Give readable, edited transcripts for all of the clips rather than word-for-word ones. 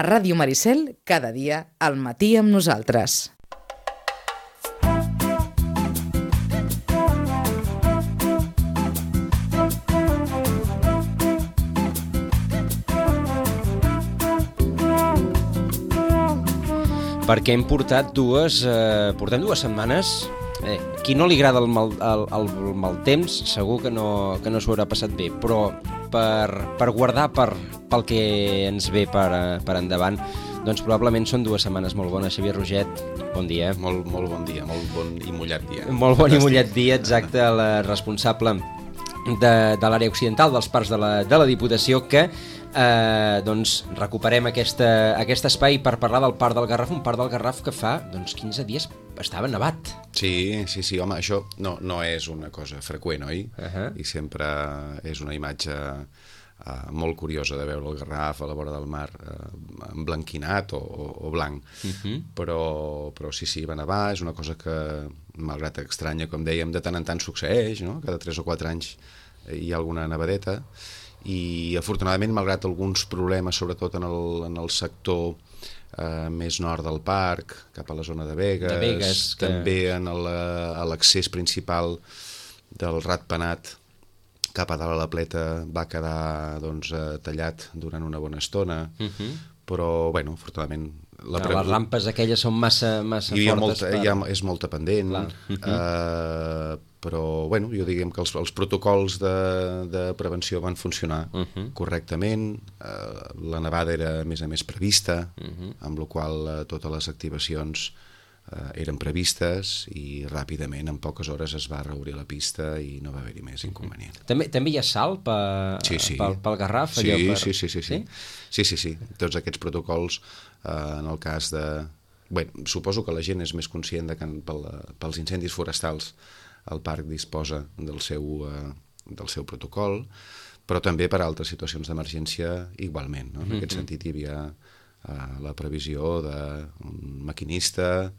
A Ràdio Maricel, cada dia, al matí amb nosaltres. Perquè hem portat portem 2 setmanes. Qui no li agrada el mal temps segur que no s'ho haurà passat bé, però per guardar pel que ens ve per endavant, doncs probablement són 2 setmanes molt bones. Xavier Roget, bon dia. Molt bon dia, molt bon i mullat dia. Molt bon i mullat dia, exacte, el responsable de l'àrea occidental dels parcs de la Diputació, que doncs recuperem aquest espai per parlar del Parc del Garraf, un Parc del Garraf que fa 15 dies estava nevat. Sí, home, això no és una cosa freqüent, oi? I sempre és una imatge molt curiosa de veure el Garraf a la vora del mar emblanquinat o blanc. Però sí, va nevar, és una cosa que, malgrat estranya, com dèiem, de tant en tant succeeix, no? Cada 3 o 4 anys hi ha alguna nevadeta, i afortunadament, malgrat alguns problemes, sobretot en el sector més nord del parc, cap a la zona de Begues, també a l'accés principal del Ratpenat cap a dalt a la Pleta va quedar tallat durant una bona estona, però, bueno, afortunadament... Les rampes aquelles són massa fortes. És molta pendent, però, bueno, jo diguem que els protocols de prevenció van funcionar correctament, la nevada era, a més prevista, amb la qual totes les activacions eren previstes i ràpidament, en poques hores, es va reobrir la pista i no va haver-hi més inconvenient. També hi ha salt pel Garraf? Sí. Tots aquests protocols, en el cas de... Bé, suposo que la gent és més conscient que pels incendis forestals el parc disposa del seu protocol, però també per a altres situacions d'emergència igualment, no? En aquest sentit hi havia la previsió d'un maquinista,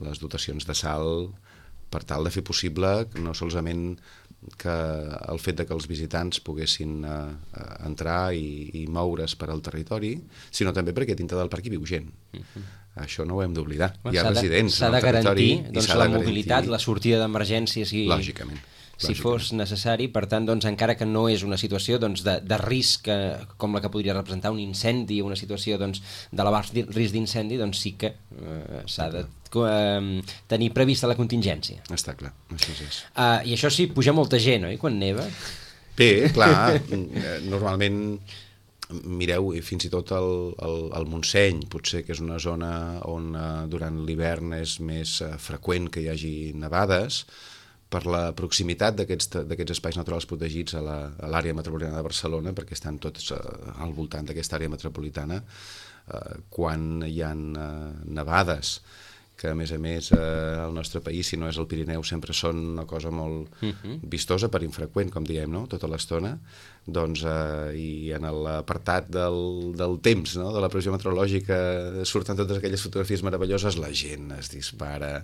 les dotacions de salt, per tal de fer possible no solament que el fet que els visitants poguessin entrar i moure's per al territori, sinó també perquè dintre del parc hi viu gent. Això no ho hem d'oblidar. Hi ha residents en el territori. S'ha de garantir la mobilitat, la sortida d'emergències. Lògicament. Si fos necessari, per tant, encara que no és una situació de risc com la que podria representar un incendi, una situació d'elevat risc d'incendi, doncs sí que s'ha de tenir prevista la contingència. Està clar, això és. I això sí, puja molta gent, oi, quan neva? Bé, clar, normalment, mireu, fins i tot el Montseny, potser que és una zona on durant l'hivern és més freqüent que hi hagi nevades, per la proximitat d'aquests espais naturals protegits a l'àrea metropolitana de Barcelona, perquè estan tots al voltant d'aquesta àrea metropolitana, quan hi ha nevades, que a més al nostre país, si no és el Pirineu, sempre són una cosa molt vistosa, per infreqüent, com diem, no? Tota l'estona, i en l'apartat del temps, no? De la previsió meteorològica, surten totes aquelles fotografies meravelloses, la gent es dispara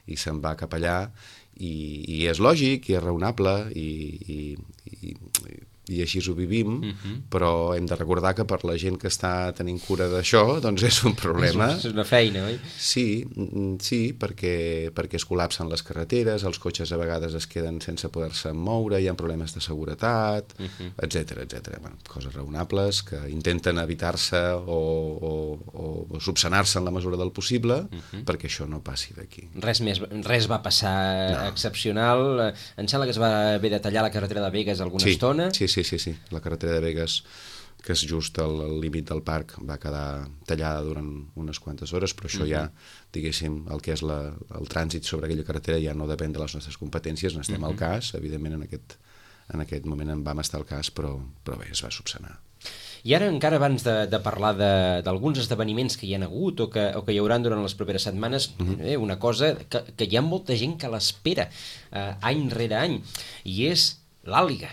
i se'n va cap allà, i és lògic, i és raonable, i així ho vivim, però hem de recordar que per la gent que està tenint cura d'això, doncs és un problema. És una feina, oi? Sí, perquè es col·lapsen les carreteres, els cotxes a vegades es queden sense poder-se moure, hi ha problemes de seguretat, etc. Bueno, coses raonables que intenten evitar-se o subsanar-se en la mesura del possible perquè això no passi d'aquí. Res va passar excepcional. Em sembla que es va haver de tallar la carretera de Begues alguna estona. Sí. La carretera de Begues, que és just al límit del parc, va quedar tallada durant unes quantes hores, però això ja, diguéssim, el que és el trànsit sobre aquella carretera ja no depèn de les nostres competències, n'estem al cas, evidentment en aquest moment en vam estar al cas, però bé, es va subsanar. I ara, encara abans de parlar d'alguns esdeveniments que hi ha hagut o que hi haurà durant les properes setmanes, una cosa que hi ha molta gent que l'espera any rere any, i és l'àliga.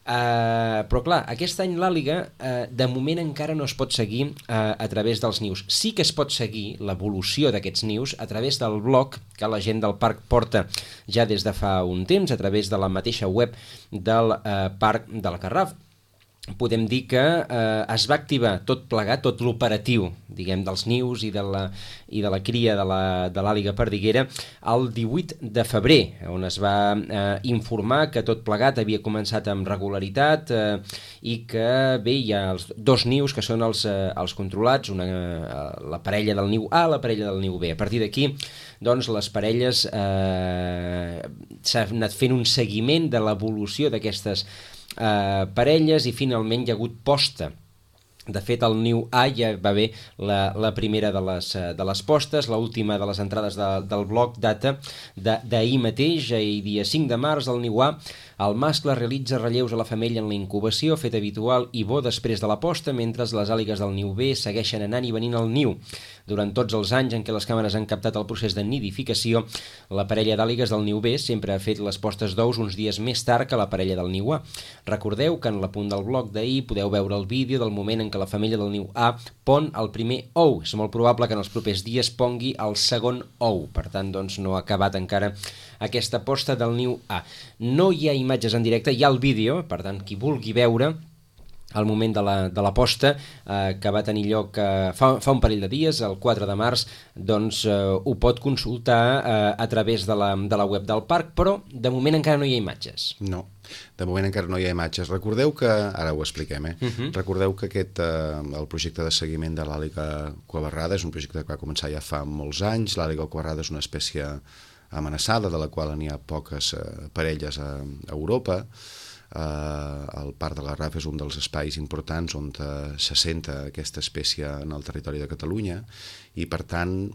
Però clar, aquest any l'àliga de moment encara no es pot seguir a través dels nius. Sí que es pot seguir l'evolució d'aquests nius a través del blog que la gent del parc porta ja des de fa un temps, a través de la mateixa web del Parc del Garraf. podem dir que es va activar tot plegat, tot l'operatiu, diguem, dels nius i de la cria de l'àliga perdiguera el 18 de febrer, on es va informar que tot plegat havia començat amb regularitat i que, bé, hi ha els dos nius que són els controlats, la parella del niu A, la parella del niu B. A partir d'aquí, doncs, les parelles s'ha anat fent un seguiment de l'evolució d'aquestes parelles i finalment hi ha hagut posta. De fet, el niu A ja va haver la primera de les postes, l'última de les entrades del bloc data d'ahir mateix, ahir dia 5 de març, el niu A. El mascle realitza relleus a la femella en la incubació, fet habitual i bo després de la posta, mentre les àligues del niu B segueixen anant i venint al niu. Durant tots els anys en què les càmeres han captat el procés de nidificació, la parella d'àligues del niu B sempre ha fet les postes d'ous uns dies més tard que la parella del niu A. Recordeu que en l'apunt del bloc d'ahir podeu veure el vídeo del moment en què la femella del niu A pon el primer ou. És molt probable que en els propers dies pongui el segon ou. Per tant, doncs, no ha acabat encara aquesta posta del niu A. No hi ha imatges en directe, hi ha el vídeo, per tant, qui vulgui veure el moment de la posta que va tenir lloc fa un parell de dies, el 4 de març, doncs ho pot consultar a través de la web del parc, però de moment encara no hi ha imatges. No, de moment encara no hi ha imatges. Recordeu que, ara ho expliquem, recordeu que el projecte de seguiment de l'àliga cuabarrada és un projecte que va començar ja fa molts anys. L'àliga cuabarrada és una espècie amenaçada, de la qual n'hi ha poques parelles a Europa. El Parc de la Garraf és un dels espais importants on s'assenta aquesta espècie en el territori de Catalunya i, per tant,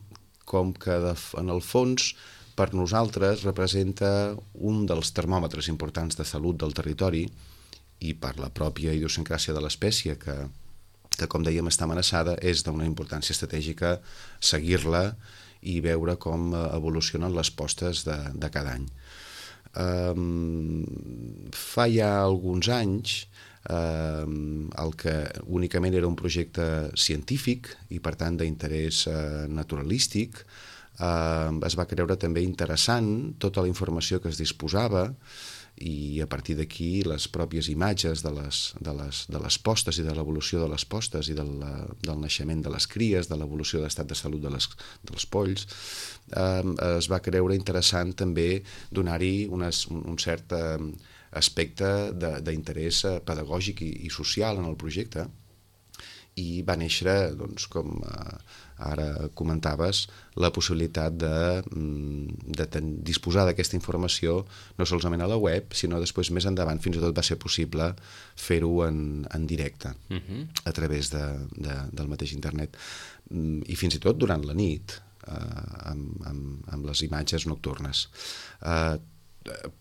com que en el fons per nosaltres representa un dels termòmetres importants de salut del territori i per la pròpia idiosincràsia de l'espècie que com dèiem està amenaçada, és d'una importància estratègica seguir-la i veure com evolucionen les postes de cada any. Fa ja alguns anys el que únicament era un projecte científic i per tant d'interès naturalístic es va creure també interessant tota la informació que es disposava i a partir d'aquí les pròpies imatges de les postes i de l'evolució de les postes i del naixement de les cries, de l'evolució de l'estat de salut dels polls, es va creure interessant també donar-hi un cert aspecte d'interès pedagògic i social en el projecte i va néixer, doncs, com ara comentaves, la possibilitat de disposar d'aquesta informació no solament a la web, sinó després més endavant fins i tot va ser possible fer-ho en directe a través del mateix internet i fins i tot durant la nit amb les imatges nocturnes.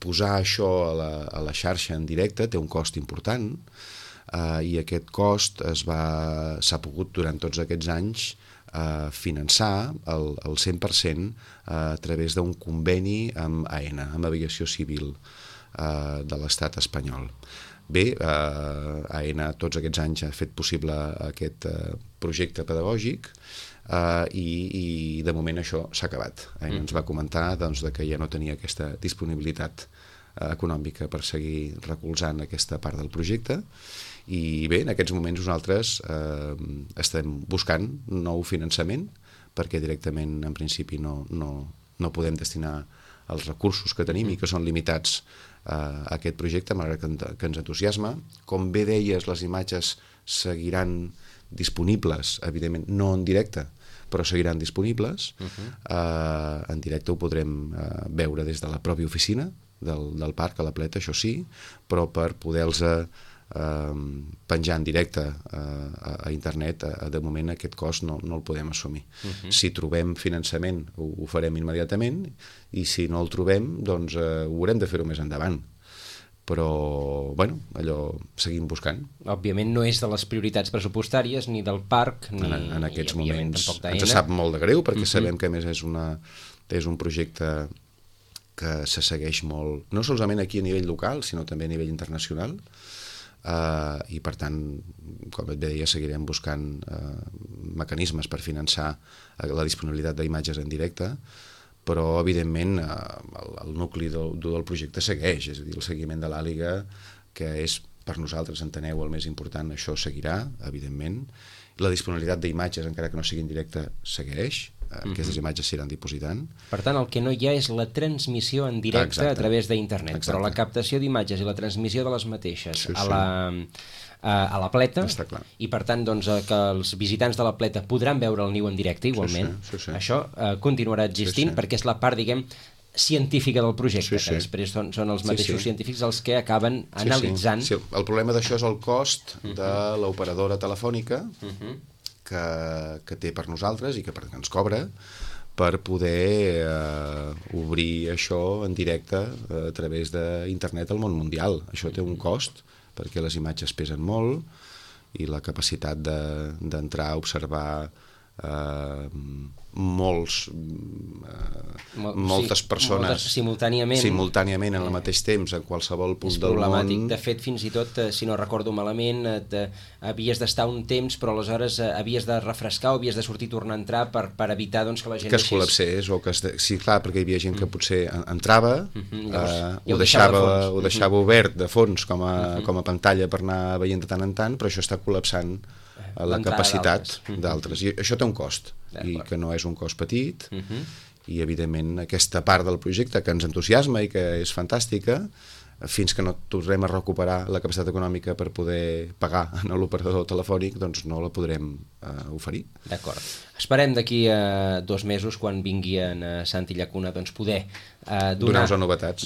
Posar això a la xarxa en directe té un cost important i aquest cost s'ha pogut durant tots aquests anys finançar el 100% a través d'un conveni amb AENA, amb Aviació Civil de l'estat espanyol. Bé, AENA tots aquests anys ha fet possible aquest projecte pedagògic i de moment això s'ha acabat. AENA ens va comentar que ja no tenia aquesta disponibilitat econòmica per seguir recolzant aquesta part del projecte i bé, en aquests moments nosaltres estem buscant nou finançament perquè directament en principi no podem destinar els recursos que tenim i que són limitats a aquest projecte, malgrat que ens entusiasma. Com bé deies, les imatges seguiran disponibles, evidentment no en directe, però seguiran disponibles. En directe ho podrem veure des de la pròpia oficina del parc a la Pleta, això sí, però per poder-los penjar en directe a internet, de moment aquest cost no el podem assumir. Si trobem finançament ho farem immediatament i si no el trobem doncs ho haurem de fer-ho més endavant. Però, bueno, allò seguim buscant. Òbviament no és de les prioritats pressupostàries ni del parc ni en aquests moments tampoc ens sap molt de greu perquè sabem que a més és un projecte que se segueix molt, no solament aquí a nivell local sinó també a nivell internacional i per tant, com et deia, seguirem buscant mecanismes per finançar la disponibilitat d'imatges en directe, però evidentment el nucli del projecte segueix, és a dir, el seguiment de l'àliga, que és per nosaltres, enteneu, el més important, això seguirà, evidentment. La disponibilitat d'imatges, encara que no sigui en directe, segueix. Aquestes imatges s'iran dipositant. Per tant, el que no hi ha és la transmissió en directe a través d'internet, però la captació d'imatges i la transmissió de les mateixes a la pleta, i per tant doncs, que els visitants de la pleta podran veure el niu en directe igualment, això continuarà existint perquè és la part, diguem, científica del projecte, que després són els mateixos científics els que acaben analitzant. El problema d'això és el cost de l'operadora telefònica que té per nosaltres i que ens cobra per poder obrir això en directe a través d'internet al món mundial. Això té un cost perquè les imatges pesen molt i la capacitat d'entrar a observar moltes persones simultàniament en el mateix temps en qualsevol punt del món. És problemàtic. De fet, fins i tot, si no recordo malament, havies d'estar un temps, però aleshores havies de refrescar o havies de sortir i tornar a entrar per evitar doncs, que la gent... Que es col·lapsés, o que sí, clar, perquè hi havia gent que potser entrava, ho deixava obert de fons com a pantalla per anar veient de tant en tant, però això està col·lapsant la capacitat d'altres. I això té un cost, i que no és un cost petit, i evidentment aquesta part del projecte que ens entusiasma i que és fantàstica, fins que no tornem a recuperar la capacitat econòmica per poder pagar a l'operador telefònic, doncs no la podrem oferir. D'acord. Esperem d'aquí a 2 mesos, quan vingui en Santi Llacuna, doncs poder donar-nos novetats.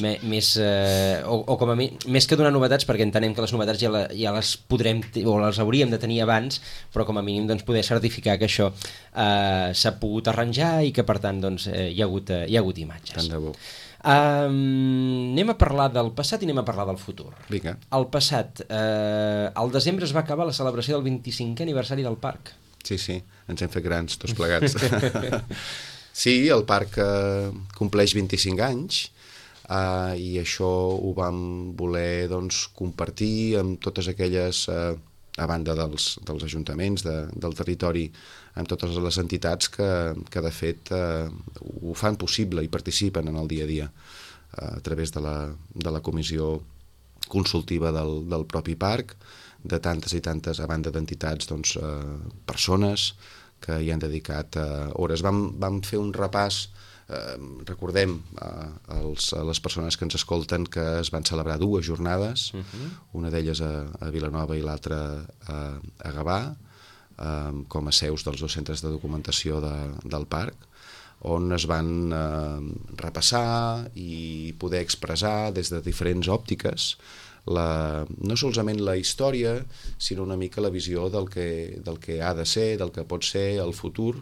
O com a mi, més que donar novetats, perquè entenem que les novetats ja les podrem, o les hauríem de tenir abans, però com a mínim doncs, poder certificar que això s'ha pogut arranjar i que per tant doncs, hi ha hagut imatges. Tant de bo. Anem a parlar del passat i anem a parlar del futur. Vinga. El passat, al desembre es va acabar la celebració del 25è aniversari del parc. Sí, ens hem fet grans tots plegats. Sí, el parc compleix 25 anys i això ho vam voler doncs, compartir amb totes aquelles, a banda dels ajuntaments del territori, amb totes les entitats que de fet ho fan possible i participen en el dia a dia a través de la comissió consultiva del propi parc, de tantes i tantes, a banda d'entitats, doncs, persones que hi han dedicat hores. Vam fer un repàs, recordem a les persones que ens escolten que es van celebrar 2 jornades, una d'elles a Vilanova i l'altra a Gavà, com a seus dels 2 centres de documentació del parc, on es van repassar i poder expressar des de diferents òptiques no solament la història, sinó una mica la visió del que ha de ser, del que pot ser el futur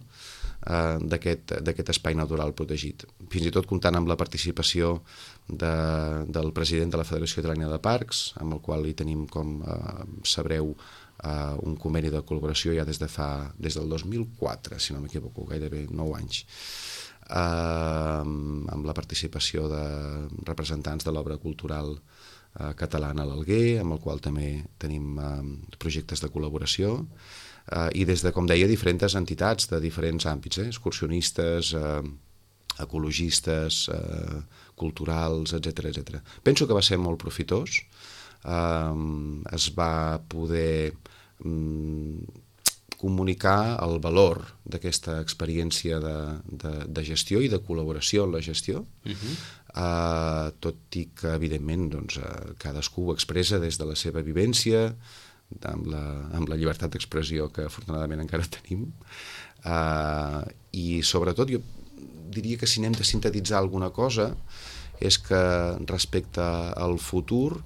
d'aquest espai natural protegit. Fins i tot comptant amb la participació del president de la Federació Catalana de Parcs, amb el qual hi tenim, com sabreu, un conveni de col·laboració ja des del 2004, si no m'equivoco, gairebé 9 anys, amb la participació de representants de l'obra cultural catalana a l'Alguer, amb el qual també tenim projectes de col·laboració, i des de, com deia, diferents entitats de diferents àmbits, excursionistes, ecologistes, culturals, etc. Penso que va ser molt profitós. Es va poder comunicar el valor d'aquesta experiència de gestió i de col·laboració en la gestió, tot i que, evidentment, doncs, cadascú ho expressa des de la seva vivència, amb la llibertat d'expressió que afortunadament encara tenim, i sobretot jo diria que si anem de sintetitzar alguna cosa és que respecte al futur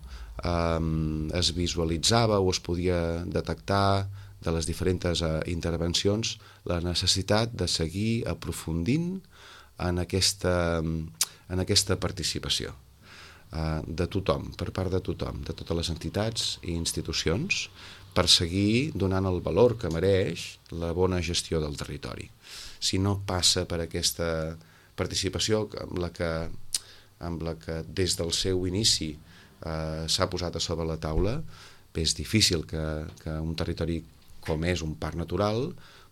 es visualitzava o es podia detectar de les diferents intervencions la necessitat de seguir aprofundint en aquesta participació de tothom, per part de tothom, de totes les entitats i institucions, per seguir donant el valor que mereix la bona gestió del territori. Si no passa per aquesta participació amb la que des del seu inici s'ha posat a sobre la taula, és difícil que un territori com és un parc natural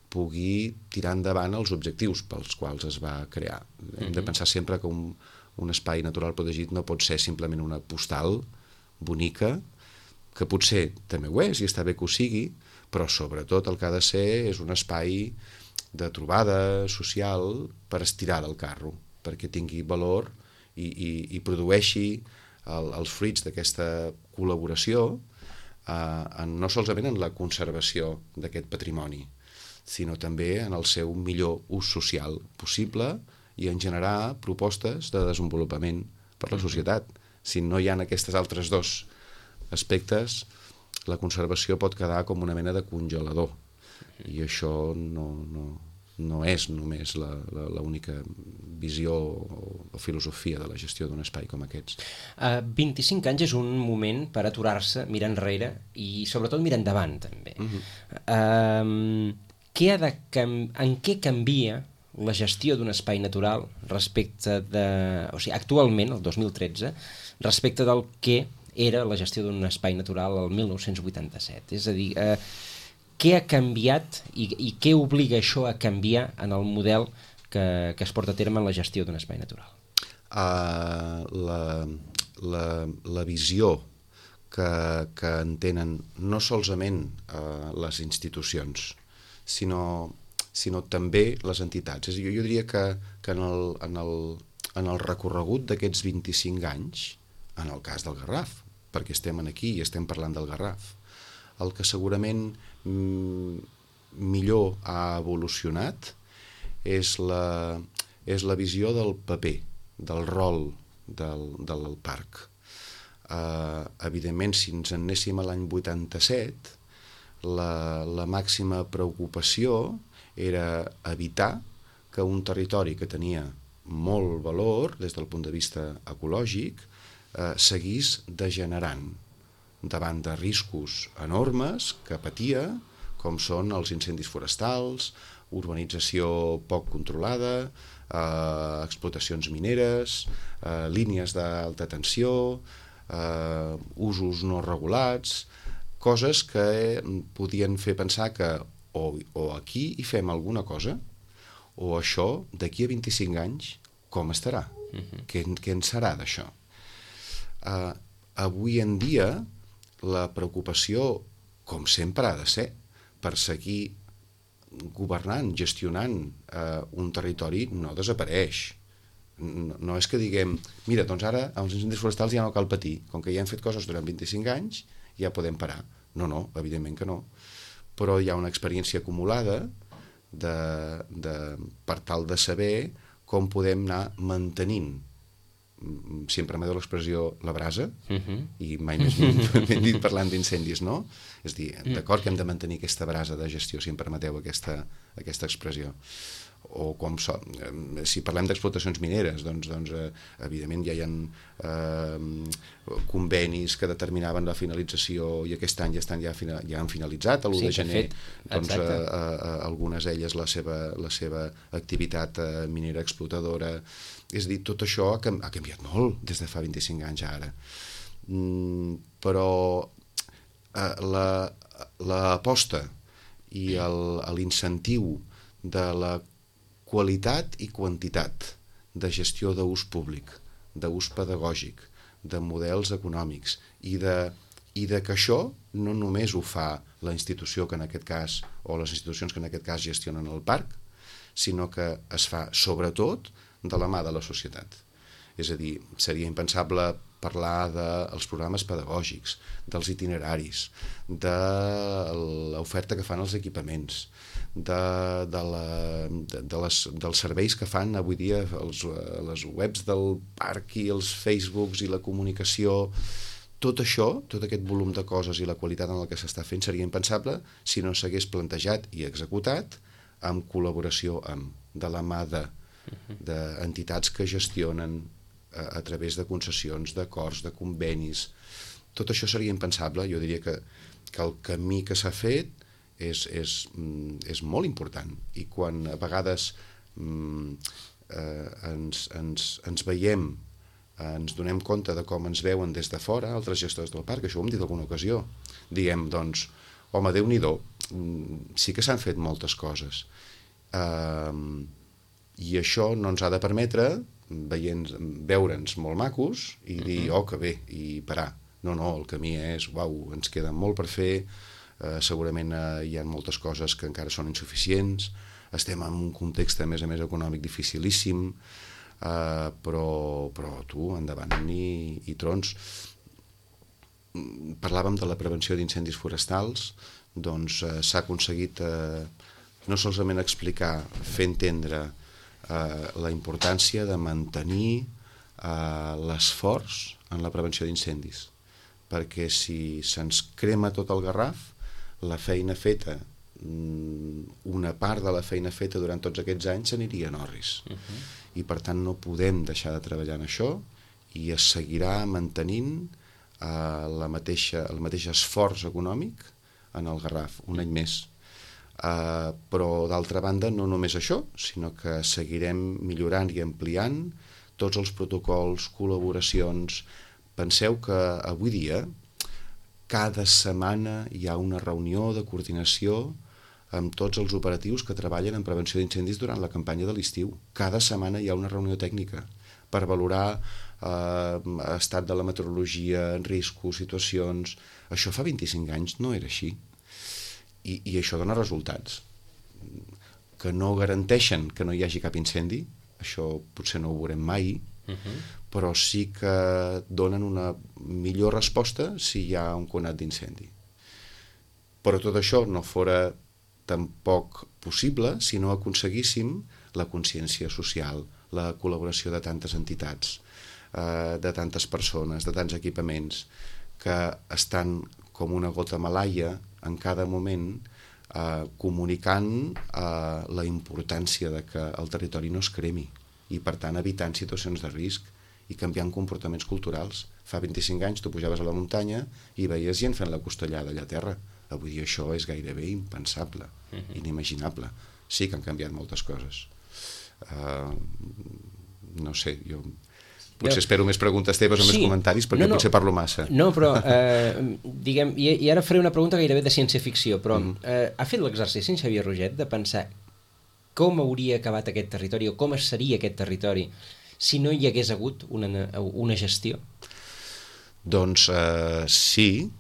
pugui tirar endavant els objectius pels quals es va crear. Hem de pensar sempre que un espai natural protegit no pot ser simplement una postal bonica que potser també ho és i està bé que ho sigui, però sobretot el que ha de ser és un espai de trobada social per estirar del carro, perquè tingui valor i produeixi els fruits d'aquesta col·laboració no solament en la conservació d'aquest patrimoni, sinó també en el seu millor ús social possible i en generar propostes de desenvolupament per la societat. Si no hi ha aquests altres dos aspectes, la conservació pot quedar com una mena de congelador, i això no és només l'única visió o filosofia de la gestió d'un espai com aquests. 25 anys és un moment per aturar-se, mirar enrere i sobretot mirar endavant també. En què canvia la gestió d'un espai natural respecte de... O sigui, actualment, el 2013, respecte del que era la gestió d'un espai natural el 1987? És a dir, què ha canviat i què obliga això a canviar en el model que es porta a terme en la gestió d'un espai natural? La visió que entenen no solament les institucions, sinó també les entitats. Jo diria que en el recorregut d'aquests 25 anys, en el cas del Garraf, perquè estem aquí i estem parlant del Garraf, el que segurament millor ha evolucionat és la visió del paper, del rol del parc. Evidentment, si ens en anéssim a l'any 87, la màxima preocupació era evitar que un territori que tenia molt valor des del punt de vista ecològic seguís degenerant davant de riscos enormes que patia, com són els incendis forestals, urbanització poc controlada, explotacions mineres, línies d'alta tensió, usos no regulats, coses que podien fer pensar que o aquí hi fem alguna cosa, o això d'aquí a 25 anys com estarà? Què en serà d'això? Avui en dia la preocupació, com sempre ha de ser, per seguir governant, gestionant un territori no desapareix. No és que diguem, mira, doncs ara als incendis forestals ja no cal patir, com que ja hem fet coses durant 25 anys, ja podem parar. No, evidentment que no. Però hi ha una experiència acumulada per tal de saber com podem anar mantenint, si em permeteu l'expressió, la brasa, i mai més ben dit parlant d'incendis, no? És a dir, d'acord que hem de mantenir aquesta brasa de gestió, si em permeteu aquesta expressió. O si parlem d'explotacions mineres, doncs evidentment ja hi ha convenis que determinaven la finalització i aquest any ja han finalitzat, l'1 de gener, doncs algunes d'elles la seva activitat minera explotadora. És a dir, tot això ha canviat molt des de fa 25 anys a ara. Però l'aposta i l'incentiu de la qualitat i quantitat de gestió d'ús públic, d'ús pedagògic, de models econòmics i de que això no només ho fa la institució que en aquest cas, o les institucions que en aquest cas gestionen el parc, sinó que es fa sobretot de la mà de la societat. És a dir, seria impensable parlar dels programes pedagògics, dels itineraris, de l'oferta que fan els equipaments, dels serveis que fan avui dia les webs del parc i els Facebooks i la comunicació. Tot això, tot aquest volum de coses i la qualitat en el que s'està fent seria impensable si no s'hagués plantejat i executat en col·laboració de la mà d'entitats que gestionen a través de concessions, d'acords, de convenis. Tot això seria impensable. Jo diria que el camí que s'ha fet és molt important, i quan a vegades ens veiem, ens donem compte de com ens veuen des de fora altres gestors del parc, això ho hem dit alguna ocasió, diem, doncs, home, Déu-n'hi-do, sí que s'han fet moltes coses, i això no ens ha de permetre veure'ns molt macos i dir, oh, que bé, i parar. No, el camí és, ens queda molt per fer, segurament hi ha moltes coses que encara són insuficients, estem en un context, a més econòmic dificilíssim, però tu, endavant i trons. Parlàvem de la prevenció d'incendis forestals, doncs s'ha aconseguit no solament explicar, fer entendre la importància de mantenir l'esforç en la prevenció d'incendis, perquè si se'ns crema tot el Garraf, la feina feta, una part de la feina feta durant tots aquests anys s'aniria en orris. I per tant no podem deixar de treballar en això i es seguirà mantenint el mateix esforç econòmic en el Garraf, un any més. Però d'altra banda no només això, sinó que seguirem millorant i ampliant tots els protocols, col·laboracions. Penseu que avui dia cada setmana hi ha una reunió de coordinació amb tots els operatius que treballen en prevenció d'incendis durant la campanya de l'estiu. Cada setmana hi ha una reunió tècnica per valorar estat de la meteorologia, riscos, situacions. Això fa 25 anys no era així. I això dona resultats que no garanteixen que no hi hagi cap incendi, això potser no ho veurem mai, però sí que donen una millor resposta si hi ha un conat d'incendi. Però tot això no fora tampoc possible si no aconseguíssim la consciència social, la col·laboració de tantes entitats, de tantes persones, de tants equipaments, que estan com una gota malaia en cada moment comunicant la importància de que el territori no es cremi i per tant evitant situacions de risc i canviant comportaments culturals. Fa 25 anys tu pujaves a la muntanya i veies gent fent la costellada allà a terra. Avui dia això és gairebé impensable, inimaginable. Sí que han canviat moltes coses. No sé, jo potser espero més preguntes teves o més comentaris perquè potser parlo massa. No, però diguem, i ara faré una pregunta gairebé de ciència-ficció, però ha fet l'exercici en Xavier Roget de pensar com hauria acabat aquest territori o com seria aquest territori si no hi hagués hagut una gestió? Doncs sí,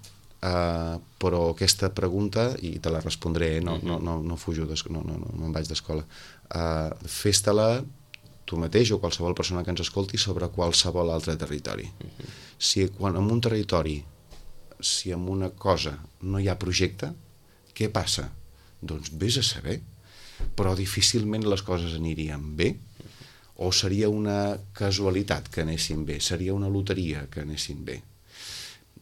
però aquesta pregunta, i te la respondré, no fujo, no em vaig d'escola, fes-te-la tu mateix o qualsevol persona que ens escolti sobre qualsevol altre territori. Si en un territori, si en una cosa no hi ha projecte, què passa? Doncs vés a saber, però difícilment les coses anirien bé, o seria una casualitat que anessin bé, seria una loteria que anessin bé.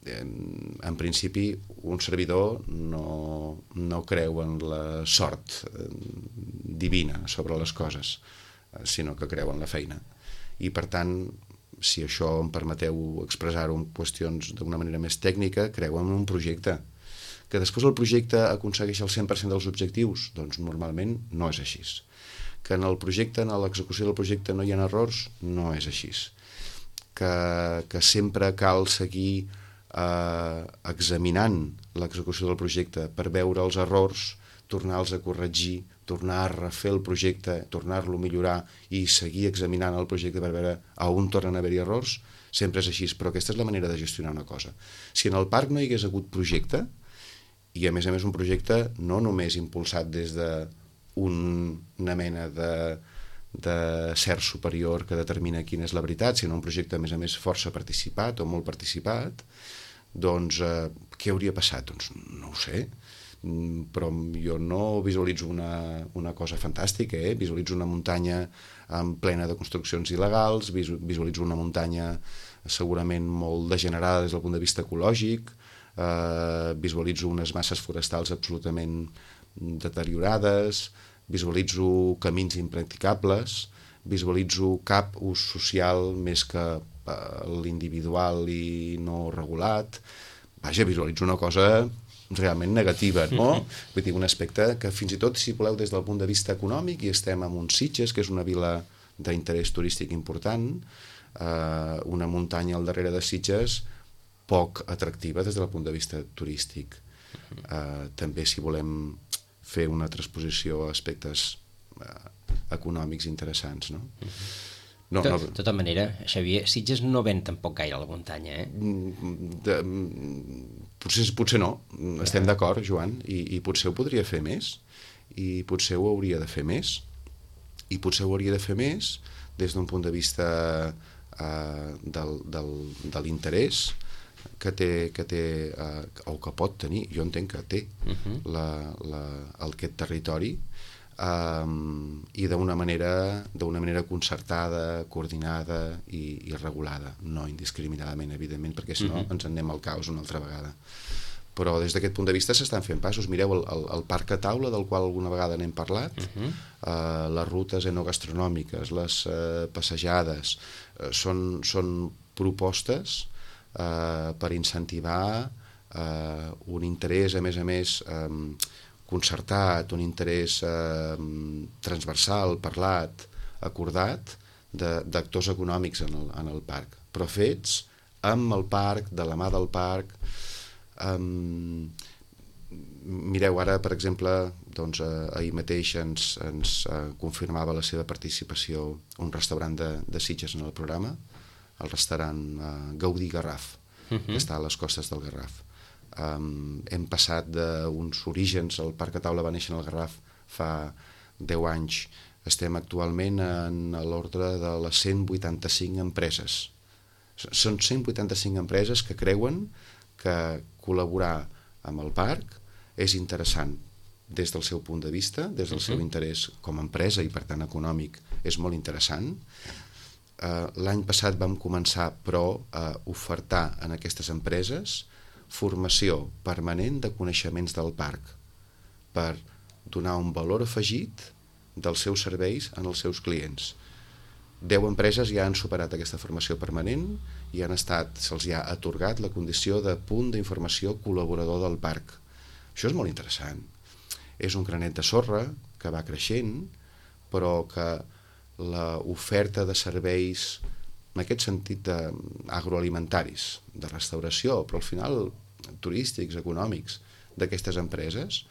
En principi, un servidor no creu en la sort divina sobre les coses, sinó que creu en la feina. I per tant, si això em permeteu expressar-ho en qüestions d'una manera més tècnica, creu en un projecte. Que després el projecte aconsegueix el 100% dels objectius? Doncs normalment no és així. Que en el projecte, en l'execució del projecte no hi ha errors? No és així. Que sempre cal seguir examinant l'execució del projecte per veure els errors, tornar-los a corregir, tornar a refer el projecte, tornar-lo a millorar i seguir examinant el projecte per veure a on tornen a haver-hi errors, sempre és així, però aquesta és la manera de gestionar una cosa. Si en el parc no hi hagués hagut projecte, i a més un projecte no només impulsat des d'una mena de cert superior que determina quina és la veritat, sinó un projecte a més força participat o molt participat, doncs què hauria passat? Doncs no ho sé, però jo no visualitzo una cosa fantàstica, visualitzo una muntanya plena de construccions il·legals, visualitzo una muntanya segurament molt degenerada des del punt de vista ecològic, visualitzo unes masses forestals absolutament deteriorades, visualitzo camins impracticables, visualitzo cap ús social més que l'individual i no regulat. Vaja, visualitzo una cosa realment negativa, no? Vull dir, un aspecte que fins i tot, si voleu, des del punt de vista econòmic, i estem en un Sitges, que és una vila d'interès turístic important, una muntanya al darrere de Sitges poc atractiva des del punt de vista turístic. També, si volem fer una transposició a aspectes econòmics interessants, no? De tota manera, Xavier, Sitges no ven tampoc gaire a la muntanya, Potser no, estem d'acord, Joan, i potser ho podria fer més, i potser ho hauria de fer més, i potser ho hauria de fer més des d'un punt de vista de l'interès que té o que pot tenir, jo entenc que té aquest territori, i d'una manera concertada, coordinada i regulada, no indiscriminadament, evidentment, perquè si no ens en anem al caos una altra vegada. Però des d'aquest punt de vista s'estan fent passos. Mireu el parc a taula, del qual alguna vegada n'hem parlat, les rutes enogastronòmiques, les passejades, són propostes per incentivar un interès, a més, concertat, un interès transversal, parlat, acordat, d'actors econòmics en el parc, però fets amb el parc, de la mà del parc. Mireu, ara, per exemple, ahir mateix ens confirmava la seva participació un restaurant de Sitges en el programa, el restaurant Gaudí Garraf, que està a les costes del Garraf. Hem passat d'uns orígens, el Parc a Taula va néixer en el Garraf fa 10 anys, estem actualment en l'ordre de les 185 empreses. Són 185 empreses que creuen que col·laborar amb el parc és interessant des del seu punt de vista, des del seu interès com a empresa i per tant econòmic és molt interessant. L'any passat vam començar però a ofertar en aquestes empreses formació permanent de coneixements del parc per donar un valor afegit dels seus serveis en els seus clients. 10 empreses ja han superat aquesta formació permanent i se'ls ha atorgat la condició de punt d'informació col·laborador del parc. Això és molt interessant. És un granet de sorra que va creixent, però que l'oferta de serveis, en aquest sentit agroalimentaris, de restauració, però al final turístics, econòmics, d'aquestes empreses,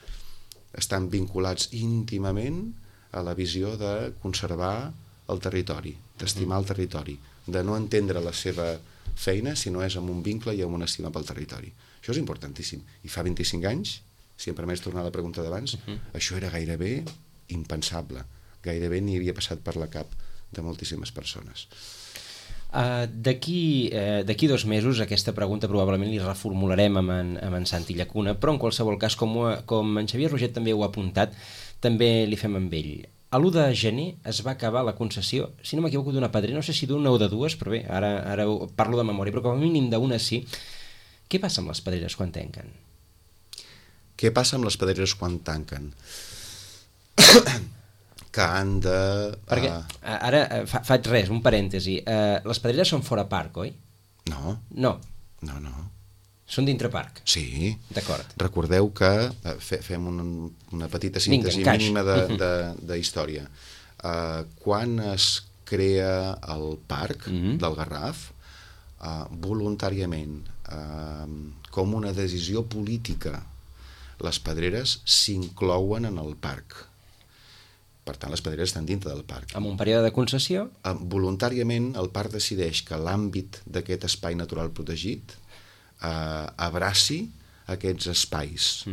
estan vinculats íntimament a la visió de conservar el territori, d'estimar el territori, de no entendre la seva feina si no és amb un vincle i amb una estima pel territori. Això és importantíssim. I fa 25 anys, si em permets tornar a la pregunta d'abans, això era gairebé impensable. Gairebé ni havia passat per la cap de moltíssimes persones. D'aquí 2 mesos aquesta pregunta probablement li reformularem amb en Santi Llacuna, però en qualsevol cas, com en Xavier Roget també ho ha apuntat, també li fem amb ell. A l'1 de gener es va acabar la concessió, si no m'equivoco, d'una pedrera, no sé si d'una o de dues, però bé, ara parlo de memòria, però com a mínim d'una sí. Què passa amb les pedreres quan tanquen? Què passa amb les pedreres quan tanquen? Que han de... Perquè ara faig un parèntesi. Les pedreres són fora parc, oi? No. No. No. Són dintre parc? Sí. D'acord. Recordeu que fem una petita síntesi mínima de història. Quan es crea el parc del Garraf, voluntàriament, com una decisió política, les pedreres s'inclouen en el parc. Per tant, les pedreres estan dintre del parc. Amb un període de concessió? Voluntàriament, el parc decideix que l'àmbit d'aquest espai natural protegit abraci aquests espais,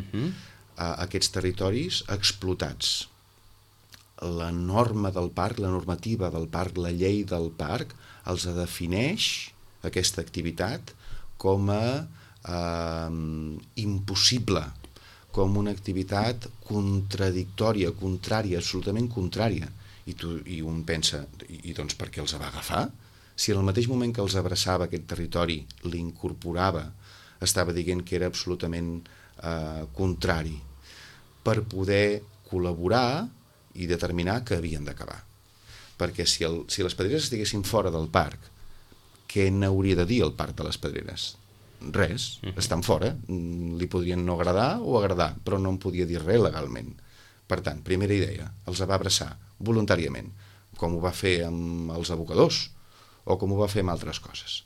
aquests territoris explotats. La norma del parc, la normativa del parc, la llei del parc, els defineix aquesta activitat com a impossible, com una activitat contradictòria, contrària, absolutament contrària. I un pensa, i doncs per què els va agafar? Si en el mateix moment que els abraçava aquest territori, l'incorporava, estava dient que era absolutament contrari, per poder col·laborar i determinar que havien d'acabar. Perquè si les pedreres estiguessin fora del parc, què n'hauria de dir el parc de les pedreres? Res, estan fora, li podrien no agradar o agradar, però no en podia dir res legalment. Per tant, primera idea, els va abraçar voluntàriament, com ho va fer amb els abocadors o com ho va fer amb altres coses.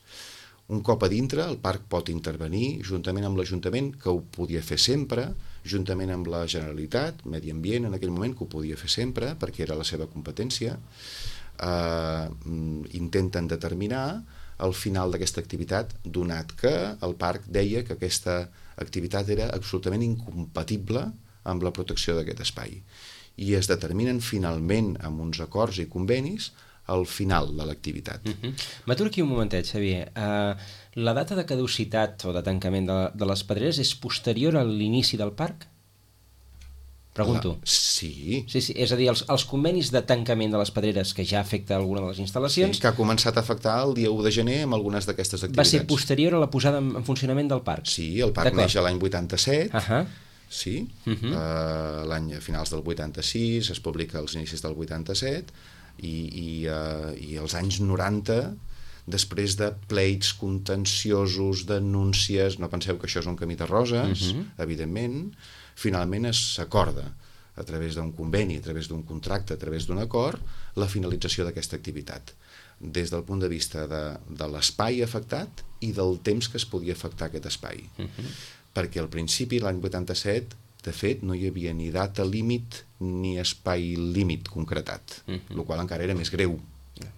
Un cop a dintre, el parc pot intervenir juntament amb l'Ajuntament, que ho podia fer sempre, juntament amb la Generalitat, Medi Ambient en aquell moment, que ho podia fer sempre, perquè era la seva competència, intenten determinar el final d'aquesta activitat, donat que el parc deia que aquesta activitat era absolutament incompatible amb la protecció d'aquest espai. I es determinen finalment amb uns acords i convenis al final de l'activitat. M'aturo aquí un momentet, Xavier. La data de caducitat o de tancament de les pedreres és posterior a l'inici del parc? Pregunto. Sí. Sí, és a dir, els convenis de tancament de les pedreres que ja afecta alguna de les instal·lacions... Sí, que ha començat a afectar el dia 1 de gener amb algunes d'aquestes activitats. Va ser posterior a la posada en funcionament del parc? Sí, el parc neix a l'any 87, sí, a finals del 86, es publica als inicis del 87, i als anys 90, després de pleits contenciosos, denúncies, no penseu que això és un camí de roses, evidentment, finalment s'acorda a través d'un conveni, a través d'un contracte, a través d'un acord, la finalització d'aquesta activitat, des del punt de vista de l'espai afectat i del temps que es podia afectar aquest espai. Perquè al principi, l'any 87, de fet, no hi havia ni data límit ni espai límit concretat, el qual encara era més greu.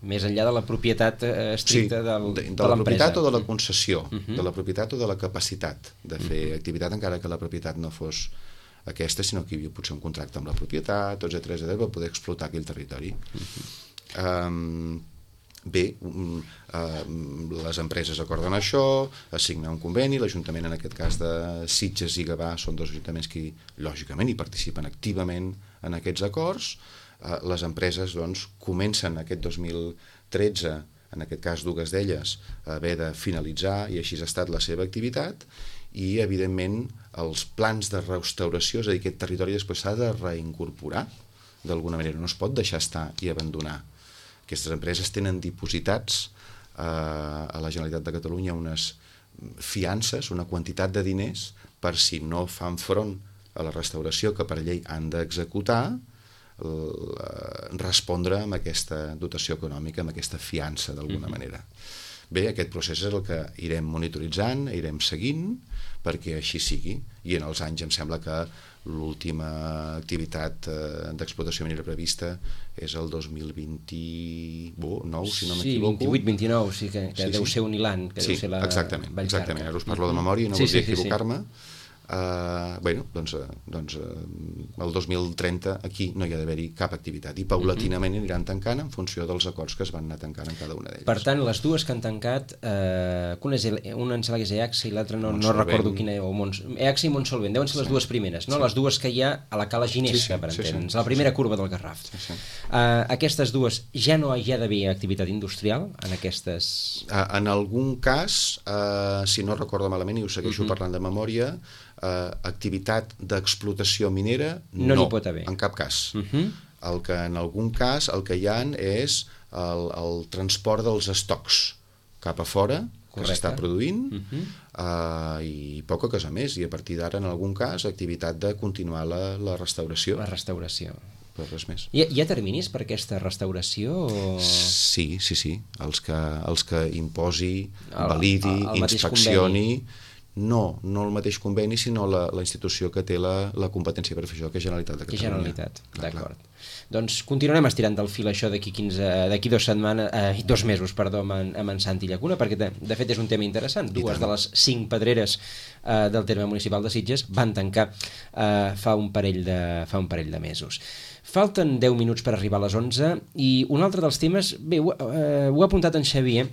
Més enllà de la propietat estricta de l'empresa. De la propietat o de la concessió, de la propietat o de la capacitat de fer activitat, encara que la propietat no fos aquesta, sinó que hi havia potser un contracte amb la propietat, etcètera, per poder explotar aquell territori. Bé, les empreses acorden això, es signa un conveni, l'Ajuntament, en aquest cas de Sitges i Gavà, són dos ajuntaments que, lògicament, hi participen activament en aquests acords. Les empreses, doncs, comencen aquest 2013, en aquest cas dues d'elles, a haver de finalitzar, i així ha estat la seva activitat, i, evidentment, els plans de restauració, és a dir, aquest territori després s'ha de reincorporar, d'alguna manera, no es pot deixar estar i abandonar. Aquestes empreses tenen dipositats a la Generalitat de Catalunya unes fiances, una quantitat de diners, per si no fan front a la restauració que per llei han d'executar, respondre amb aquesta dotació econòmica, amb aquesta fiança d'alguna manera. Bé, aquest procés és el que irem monitoritzant, irem seguint, perquè així sigui, i en els anys em sembla que l'última activitat d'explotació minera prevista és el 2029, si no m'equivoco. Sí, 28-29, sí, que deu ser un hilant, que deu ser la exactament, ara us parlo de memòria i no voldria equivocar-me. Doncs el 2030 aquí no hi ha d'haver-hi cap activitat i paulatinament aniran tancant en funció dels acords que es van anar tancant en cada una d'elles. Per tant, les dues que han tancat, una em sembla que és EAXA i l'altra no recordo quina, EAXA i Montsolvent, deuen ser les dues primeres, no? Les dues que hi ha a la Cala Ginesta, per entendre'ns, la primera curva del Garraf. Aquestes dues ja no hi ha d'haver activitat industrial en aquestes... En algun cas, si no recordo malament i ho segueixo parlant de memòria, activitat d'explotació minera no n'hi pot haver cap cas. El que en algun cas el que hi ha és el transport dels estocs cap a fora que s'està produint i poca cosa més, i a partir d'ara en algun cas activitat de continuar la restauració. La restauració. Però res més. Hi ha terminis per aquesta restauració? Sí. Els que imposi, validi, inspeccioni. No el mateix conveni, sinó la institució que té la competència per fer això, que és Generalitat de Catalunya. Generalitat, d'acord. Doncs continuarem estirant del fil això d'aquí 2 mesos, amb en Santi Llacuna, perquè de fet és un tema interessant. Dues de les 5 pedreres del terme municipal de Sitges van tancar fa un parell de mesos. Falten 10 minuts per arribar a les 11 i un altre dels temes, bé, ho ha apuntat en Xavier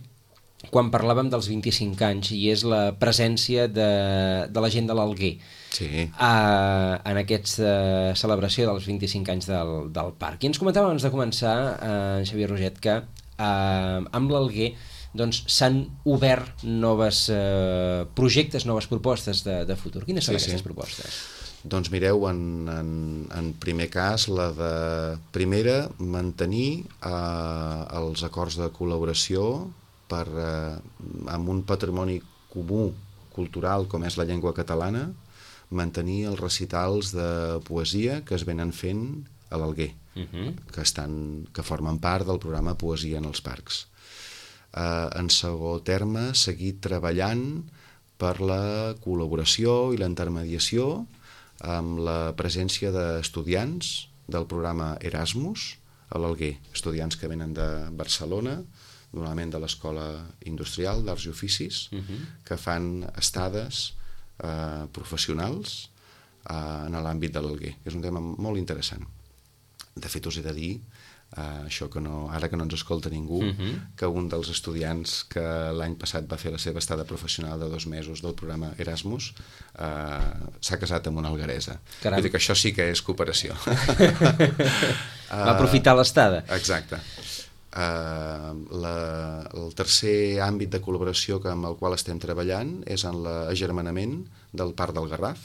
quan parlàvem dels 25 anys, i és la presència de la gent de l'Alguer en aquesta celebració dels 25 anys del parc. I ens comentava abans de començar, en Xavier Roget, que amb l'Alguer s'han obert nous projectes, noves propostes de futur. Quines són aquestes propostes? Doncs mireu, en primer cas, la de primera, mantenir els acords de col·laboració amb un patrimoni comú cultural com és la llengua catalana, mantenir els recitals de poesia que es venen fent a l'Alguer, que formen part del programa Poesia en els Parcs. En segon terme, seguir treballant per la col·laboració i la intermediació amb la presència d'estudiants del programa Erasmus a l'Alguer, estudiants que venen de Barcelona, normalment de l'Escola Industrial d'Arts i Oficis, que fan estades professionals en l'àmbit de l'Alguer. És un tema molt interessant. De fet, us he de dir, això que ara que no ens escolta ningú, que un dels estudiants que l'any passat va fer la seva estada professional de 2 mesos del programa Erasmus s'ha casat amb una algueresa. Vull dir que això sí que és cooperació. Va aprofitar l'estada. Exacte. El tercer àmbit de col·laboració amb el qual estem treballant és en l'agermanament del Parc del Garraf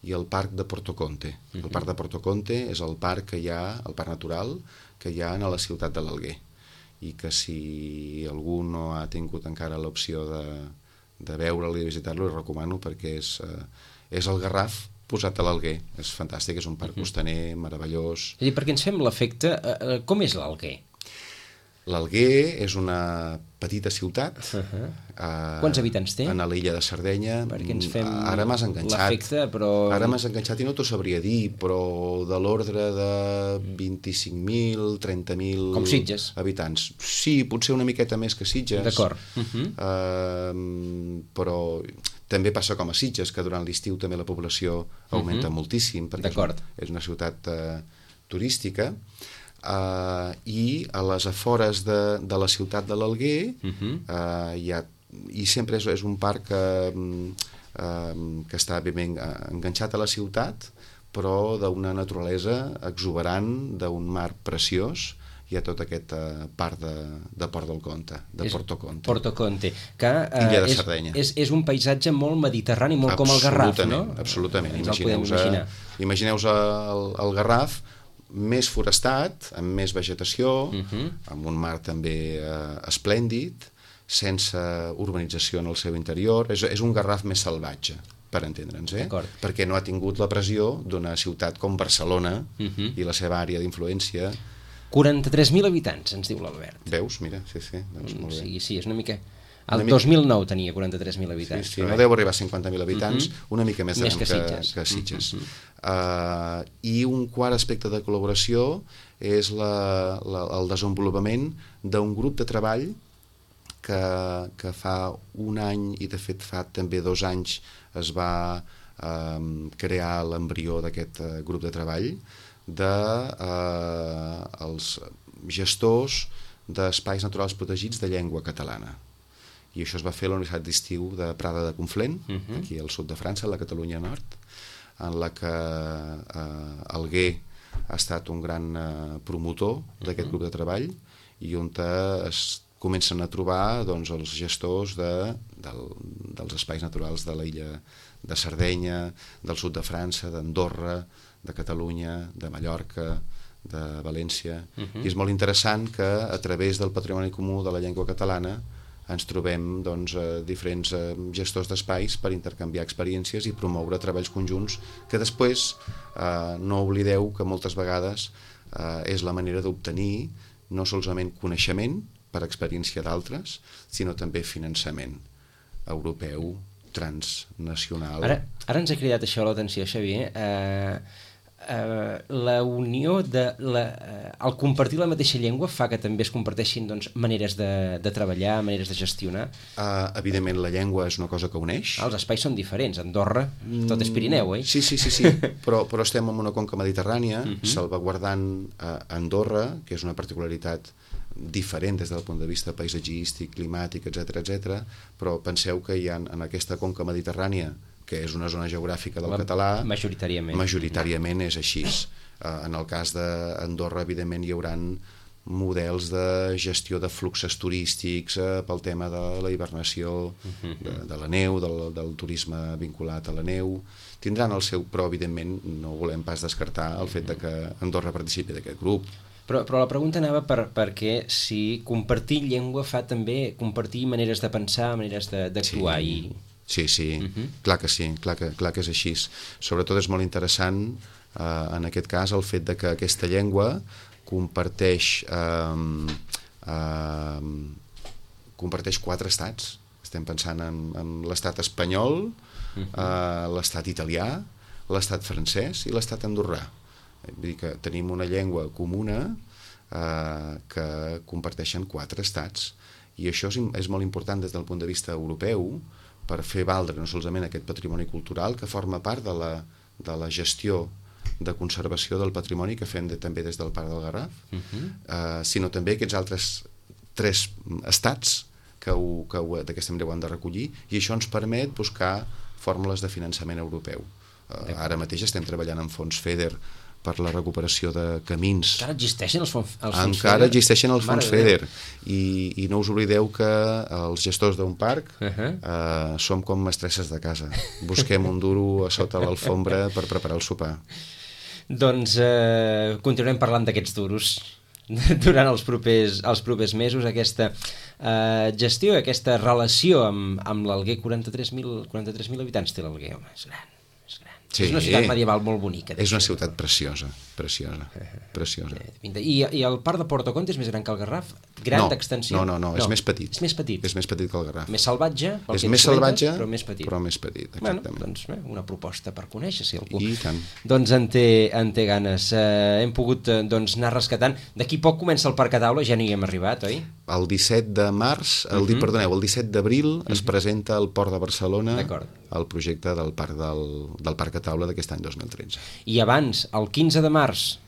i el Parc de Porto Conte. El Parc de Porto Conte és el parc que hi ha, el parc natural que hi ha a la ciutat de l'Alguer, i que si algú no ha tingut encara l'opció de veure'l i de visitar-lo, li recomano, perquè és el Garraf posat a l'Alguer. És fantàstic, és un parc costaner meravellós. És a dir, perquè ens fem l'efecte, com és l'Alguer? L'Alguer és una petita ciutat. Quants habitants té? A l'illa de Sardenya. Perquè ens fem ara m'has enganxat. L'efecte, però... Ara m'has enganxat i no t'ho sabria dir, però de l'ordre de 25.000, 30.000... Com Sitges. Habitants. Sí, potser una miqueta més que Sitges. D'acord. Però també passa com a Sitges, que durant l'estiu també la població augmenta moltíssim, perquè és una ciutat turística. I a les afores de la ciutat de l'Alguer i sempre és un parc que està ben enganxat a la ciutat, però d'una naturalesa exuberant, d'un mar preciós. Hi ha tot aquest parc de Port del Conte, de Porto Conte. Porto Conte, que Illa de Sardenya. És un paisatge molt mediterrani, molt com el Garraf, no? Absolutament. Ens el podem imaginar. Imagineu-vos el Garraf més forestat, amb més vegetació, amb un mar també esplèndid, sense urbanització en el seu interior. És un Garraf més salvatge, per entendre'ns, perquè no ha tingut la pressió d'una ciutat com Barcelona i la seva àrea d'influència. 43.000 habitants, ens diu l'Albert. Veus? Mira, sí, doncs molt bé. Sí, és una mica... El 2009 tenia 43.000 habitants. Sí, no deu arribar a 50.000 habitants, una mica més que Sitges. I un quart aspecte de col·laboració és el desenvolupament d'un grup de treball que fa un any, i de fet fa també 2 anys, es va crear l'embrió d'aquest grup de treball dels gestors d'espais naturals protegits de llengua catalana. I això es va fer a la Universitat d'Estiu de Prada de Conflent, aquí al sud de França, a la Catalunya Nord, en la que Alguer ha estat un gran promotor d'aquest grup de treball, i on es comencen a trobar els gestors dels espais naturals de l'illa de Sardenya, del sud de França, d'Andorra, de Catalunya, de Mallorca, de València. I és molt interessant que a través del patrimoni comú de la llengua catalana ens trobem diferents gestors d'espais per intercanviar experiències i promoure treballs conjunts que després, no oblideu que moltes vegades és la manera d'obtenir no solament coneixement per experiència d'altres, sinó també finançament europeu, transnacional. Ara ens ha cridat això l'atenció, Xavier. La unió el compartir la mateixa llengua fa que també es comparteixin maneres de treballar, maneres de gestionar. Evidentment la llengua és una cosa que uneix. Els espais són diferents. Andorra, tot és Pirineu, eh? Sí, però estem en una conca mediterrània, salvaguardant Andorra, que és una particularitat diferent des del punt de vista paisatgístic, climàtic, etc, però penseu que hi ha en aquesta conca mediterrània, que és una zona geogràfica del català, majoritàriament és així. En el cas d'Andorra, evidentment, hi haurà models de gestió de fluxos turístics pel tema de la hibernació, de la neu, del turisme vinculat a la neu. Tindran el seu, però evidentment no volem pas descartar el fet que Andorra participi d'aquest grup. Però la pregunta anava perquè si compartir llengua fa també compartir maneres de pensar, maneres d'actuar. Sí, clar que sí, clar que és així. Sobretot és molt interessant, en aquest cas, el fet que aquesta llengua comparteix 4 estats. Estem pensant en l'estat espanyol, l'estat italià, l'estat francès i l'estat andorrà. Vull dir que tenim una llengua comuna que comparteixen 4 estats. I això és molt important des del punt de vista europeu per fer valdre no solament aquest patrimoni cultural que forma part de la gestió de conservació del patrimoni que fem també des del Parc del Garraf, sinó també aquests altres 3 estats que d'aquesta manera ho han de recollir, i això ens permet buscar fórmules de finançament europeu. Ara mateix estem treballant amb fons FEDER per la recuperació de camins. Encara existeixen els fons FEDER? Encara existeixen els fons FEDER. I no us oblideu que els gestors d'un parc som com mestresses de casa. Busquem un duro a sota l'alfombra per preparar el sopar. Doncs continuarem parlant d'aquests duros durant els propers mesos, aquesta gestió, aquesta relació amb l'Alguer. 43.000 habitants té l'Alguer, home, és gran. Sí, és una ciutat medieval molt bonica. És una ciutat preciosa. I el parc de Porto Conte és més gran que el Garraf? Gran d'extensió? No, és més petit. És més petit? És més petit que el Garraf. Més salvatge? És més salvatge, però més petit. Exactament. Bueno, doncs una proposta per conèixer, si algú I tant. doncs en té ganes. Hem pogut anar rescatant. D'aquí poc comença el Parc a Taula, ja no hi hem arribat, oi? El 17 de març, el 17 d'abril es presenta al Port de Barcelona el projecte del Parc a Taula d'aquest any 2013. I abans, el 15 de març,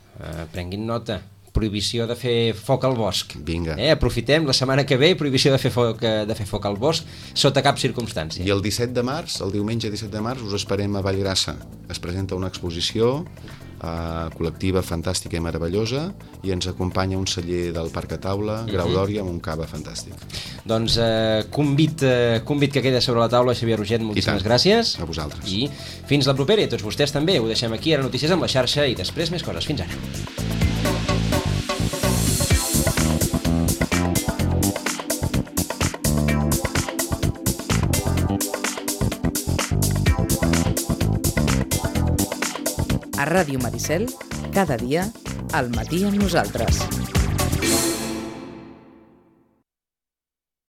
prenguin nota, prohibició de fer foc al bosc. Vinga. Aprofitem la setmana que ve, prohibició de fer foc al bosc sota cap circumstància. I el 17 de març, el diumenge 17 de març, us esperem a Vallgrassa. Es presenta una exposició col·lectiva fantàstica i meravellosa, i ens acompanya un celler del Parc a Taula, Grau d'Òria, amb un cava fantàstic. Doncs convit que queda sobre la taula. Xavier Roget, moltíssimes gràcies. A vosaltres. I fins la propera, i tots vostès també. Ho deixem aquí, ara notícies amb la xarxa i després més coses. Fins ara. A Ràdio Maricel, cada dia, al matí amb nosaltres.